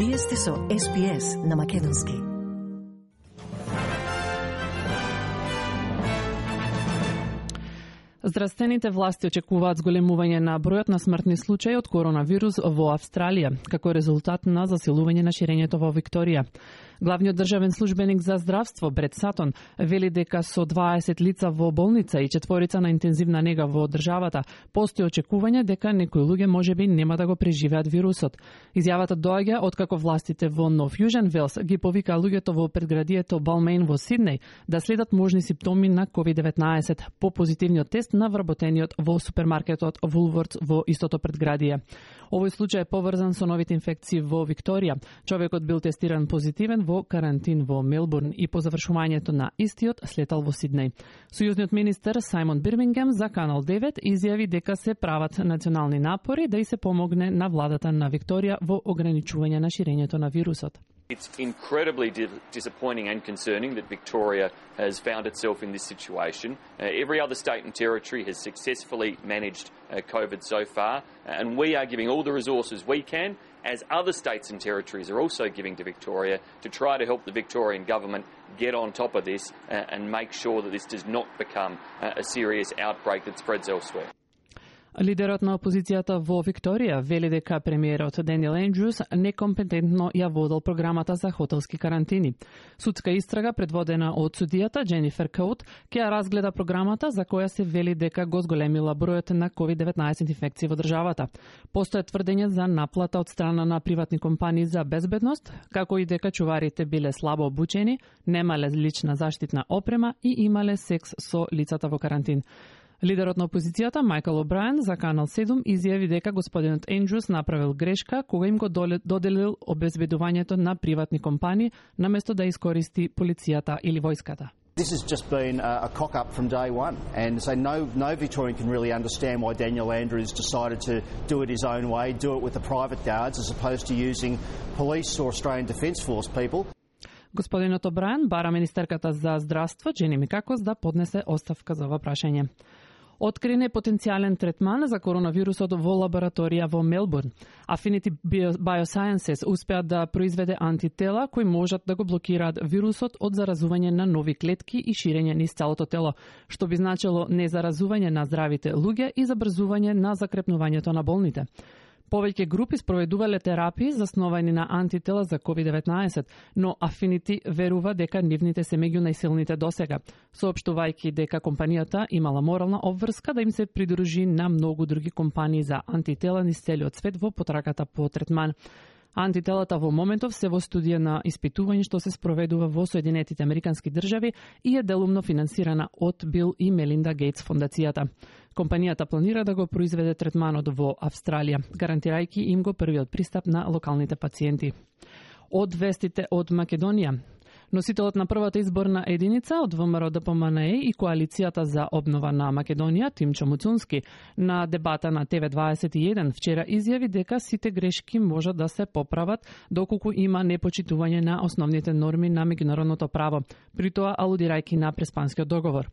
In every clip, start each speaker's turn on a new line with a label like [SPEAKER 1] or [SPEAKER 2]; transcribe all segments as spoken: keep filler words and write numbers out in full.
[SPEAKER 1] Вие сте со Ес Би Ес на македонски.
[SPEAKER 2] Здравствените власти очекуваат зголемување на бројот на смртни случаи од коронавирус во Австралија, како резултат на засилување на ширењето во Викторија. Главниот државен службеник за здравство Брет Сатон вели дека со дваесет лица во болница и четворица на интензивна нега во државата постои очекување дека некои луѓе можеби нема да го преживеат вирусот. Изјавата доаѓа откако властите во Нов Јужен Велс ги повика луѓето во предградието Балмеин во Сиднеј да следат можни симптоми на ковид деветнаесет по позитивниот тест на вработениот во супермаркетот Woolworths во истото предградие. Овој случај е поврзан со новите инфекции во Викторија. Човекот бил тестиран позитивен во карантин во Мелбурн и по завршувањето на истиот слетал во Сиднеј. Сојузниот министер Сајмон Бирмингем за Канал девет изјави дека се прават национални напори да и се помогне на владата на Викторија во ограничување на ширењето на вирусот.
[SPEAKER 3] It's incredibly di- disappointing and concerning that Victoria has found itself in this situation. Uh, every other state and territory has successfully managed uh, COVID so far, and we are giving all the resources we can, as other states and territories are also giving to Victoria, to try to help the Victorian government get on top of this uh, and make sure that this does not become uh, a serious outbreak that spreads elsewhere.
[SPEAKER 2] Лидерот на опозицијата во Викторија вели дека премиерот Даниел Ендрюс некомпетентно ја водел програмата за хотелски карантини. Судска истрага предводена од судијата Дженифер Коут ќе ја разгледа програмата за која се вели дека го зголемила бројот на ковид деветнаесет инфекции во државата. Постоја тврдење за наплата од страна на приватни компании за безбедност, како и дека чуварите биле слабо обучени, немале лична заштитна опрема и имале секс со лицата во карантин. Лидерот на опозицијата Мајкл О'Брајен за Канал седум изјави дека господинот Ендрюс направил грешка кога им го доделил обезбедувањето на приватни компании наместо да искористи полицијата или војската.
[SPEAKER 4] This has just been a, a cock-up from day one, and so no, no Victorian can really understand why Daniel Andrews decided to do it his own way, do it with the private guards as opposed to using police or Australian Defence Force people.
[SPEAKER 2] Господинот О'Брајен бара министерката за здравство Джени Микакос да поднесе оставка за ова прашање. Открин е потенцијален третман за коронавирусот во лабораторија во Мелбурн. Affinity Biosciences успеа да произведе антитела кои можат да го блокираат вирусот од заразување на нови клетки и ширење низ целото тело, што би значило незаразување на здравите луѓе и забрзување на закрепнувањето на болните. Повеќе групи спроведувале терапии засновани на антитела за ковид деветнаесет, но Affinity верува дека нивните се меѓу најсилните досега, соопштувајќи дека компанијата имала морална обврска да им се придружи на многу други компании за антитела низ целиот свет во потрагата по третман. Антителата во моментов се во студија на испитување што се спроведува во Соединетите Американски држави и е делумно финансирана од Бил и Мелинда Гейтс фондацијата. Компанијата планира да го произведе третманот во Австралија, гарантирајќи им го првиот пристап на локалните пациенти. Од вестите од Македонија. Носителот на првата изборна единица од ВМРО Д П М Н Е и Коалицијата за обнова на Македонија, Тимчо Муцунски, на дебата на Т В дваесет и еден вчера изјави дека сите грешки можат да се поправат доколку има непочитување на основните норми на меѓународното право, при тоа алудирајќи на Преспанскиот договор.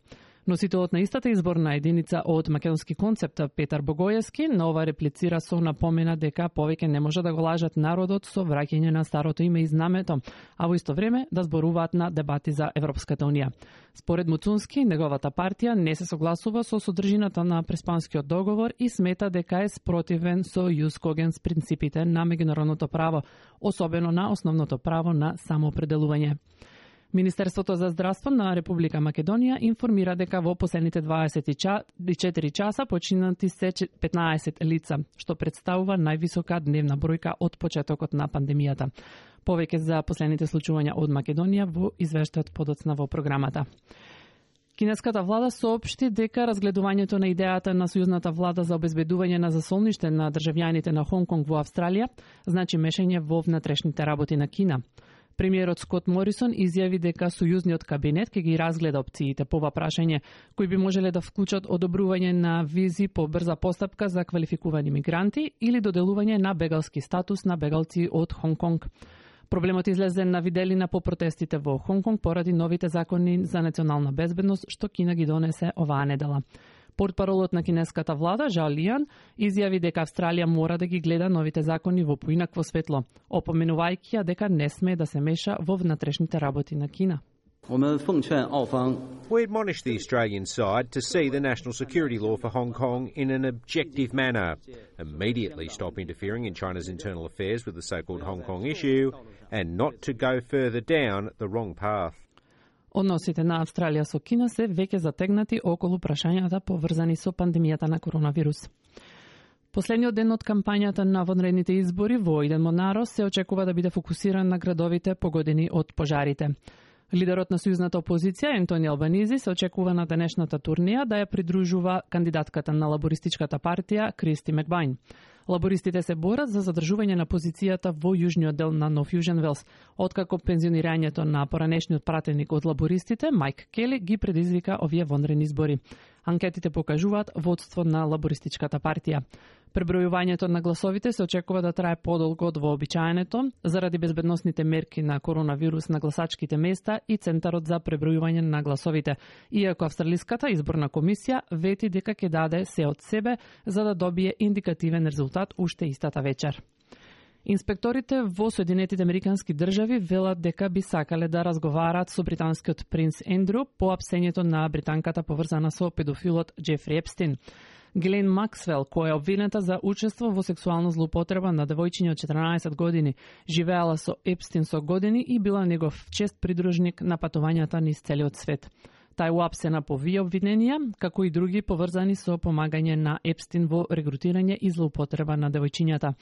[SPEAKER 2] Носителот на истата изборна единица од Македонски концепт Петар Богојевски на ова реплицира со напомена дека повеќе не може да го лажат народот со враќање на старото име и знамето, а во исто време да зборуваат на дебати за Европската унија. Според Муцунски, неговата партија не се согласува со содржината на Преспанскиот договор и смета дека е спротивен со јус когенс принципите на меѓународното право, особено на основното право на самоопределување. Министерството за здравство на Република Македонија информира дека во последните дваесет и четири часа починати се петнаесет лица, што представува највисока дневна бројка од почетокот на пандемијата. Повеќе за последните случувања од Македонија во извештајот подоцна во програмата. Кинеската влада соопшти дека разгледувањето на идејата на сојузната влада за обезбедување на засолниште на државјаните на Хонг Конг во Австралија значи мешање во внатрешните работи на Кина. Премиерот Скот Морисон изјави дека сојузниот кабинет ќе ги разгледа опциите по ова прашање, кои би можеле да вклучат одобрување на визи по брза постапка за квалификувани мигранти или доделување на бегалски статус на бегалци од Хонг Конг. Проблемот излезе на виделина по протестите во Хонг Конг поради новите закони за национална безбедност што Кина ги донесе оваа недела. Портпаролот на кинеската влада, Жао Лијан, изјави дека Австралија мора да ги гледа новите закони во поинакво светло, опоменувајќи ја дека не смее да се меша во внатрешните работи на Кина.
[SPEAKER 5] We admonish the Australian side to see the national security law for Hong Kong in an objective manner, immediately stop interfering in China's internal affairs with the so-called Hong Kong issue, and not to go further down the wrong path.
[SPEAKER 2] Односите на Австралија со Кина се веќе затегнати околу прашањата поврзани со пандемијата на коронавирус. Последниот ден од кампањата на вонредните избори во Иден Монаро се очекува да биде фокусиран на градовите погодени од пожарите. Лидерот на сојузната опозиција Ентони Албанизи се очекува на денешната турнија да ја придружува кандидатката на лабористичката партија Кристи Макбајн. Лабористите се борат за задржување на позицијата во јужниот дел на Нов Јужен Велс, откако пензионирањето на поранешниот пратеник од лабористите Мајк Кели ги предизвика овие вонредни избори. Анкетите покажуваат водство на лабористичката партија. Пребројувањето на гласовите се очекува да трае подолго од вообичаеното, заради безбедносните мерки на коронавирус на гласачките места и Центарот за пребројување на гласовите, иако Австралиската изборна комисија вети дека ќе даде се од себе за да добие индикативен резултат уште истата вечер. Инспекторите во Соединетите Американски држави велат дека би сакале да разговараат со британскиот принц Ендрю по апсењето на британката поврзана со педофилот Джефри Епстин. Глен Максвел, која е обвинета за учество во сексуална злоупотреба на девојчиња од четрнаесет години, живеала со Епстин со години и била негов чест придружник на патувањата низ целиот свет. Тај уапсена по вие обвиненија, како и други поврзани со помагање на Епстин во регрутирање и злоупотреба на девојчињата.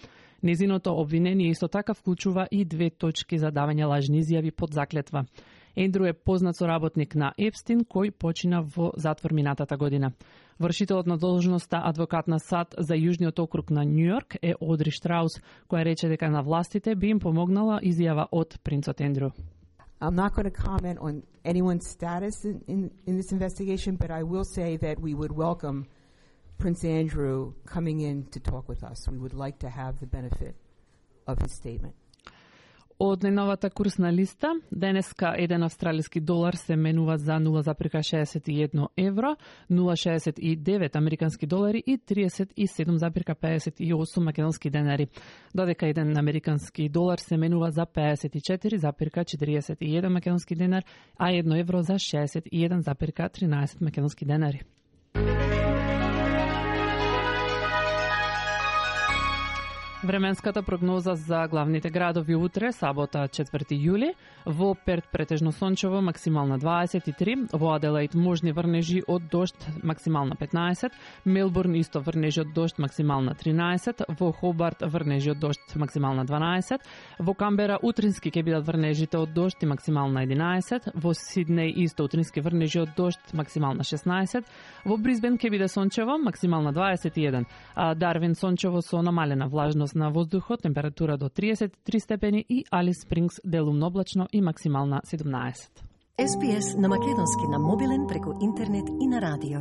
[SPEAKER 2] Незиното обвинение исто така вклучува и две точки за давање лажни изјави под заклетва. Ендрю е познат соработник на Епстин, кој почина во затвор минатата година. Вршителот на должноста адвокат на САД за Јужниот округ на Њујорк е Одри Штраус, која рече дека на властите би им помогнала изјава од принцот Ендрю.
[SPEAKER 6] I'm not going to comment on anyone's status in, in, in this investigation, but I will say that we would welcome Prince Andrew coming in to talk with us. We would like to have the benefit of his statement.
[SPEAKER 2] Од најновата курсна листа, денеска еден австралиски долар се менува за нула запирка шеесет и едно евро, нула запирка шеесет и девет американски долари и триесет и седум запирка пеесет и осум македонски денари, додека еден американски долар се менува за пеесет и четири запирка четириесет и еден македонски денар, а едно евро за шеесет и еден запирка тринаесет македонски денари. Временската прогноза за главните градови утре, сабота четврти јули, во Перт претежно сончево, максимална дваесет и три, во Аделаид можни врнежи од дожд, максимална петнаесет, Мелбурн исто врнежи од дожд, максимална тринаесет, во Хобарт врнежи од дожд, максимална дванаесет, во Камбера утрински ќе бидат врнежите од дожд и максимална единаесет, во Сиднеј исто утрински врнежи од дожд, максимална шеснаесет, во Брисбен ќе биде сончево, максимална дваесет и еден, а Дарвин сончево со намалена влажност на воздухот, температура до триесет и три степени и Алис Спрингс делумно облачно и максимална седумнаесет.
[SPEAKER 1] Ес Би Ес на македонски на мобилен преку интернет и на радио.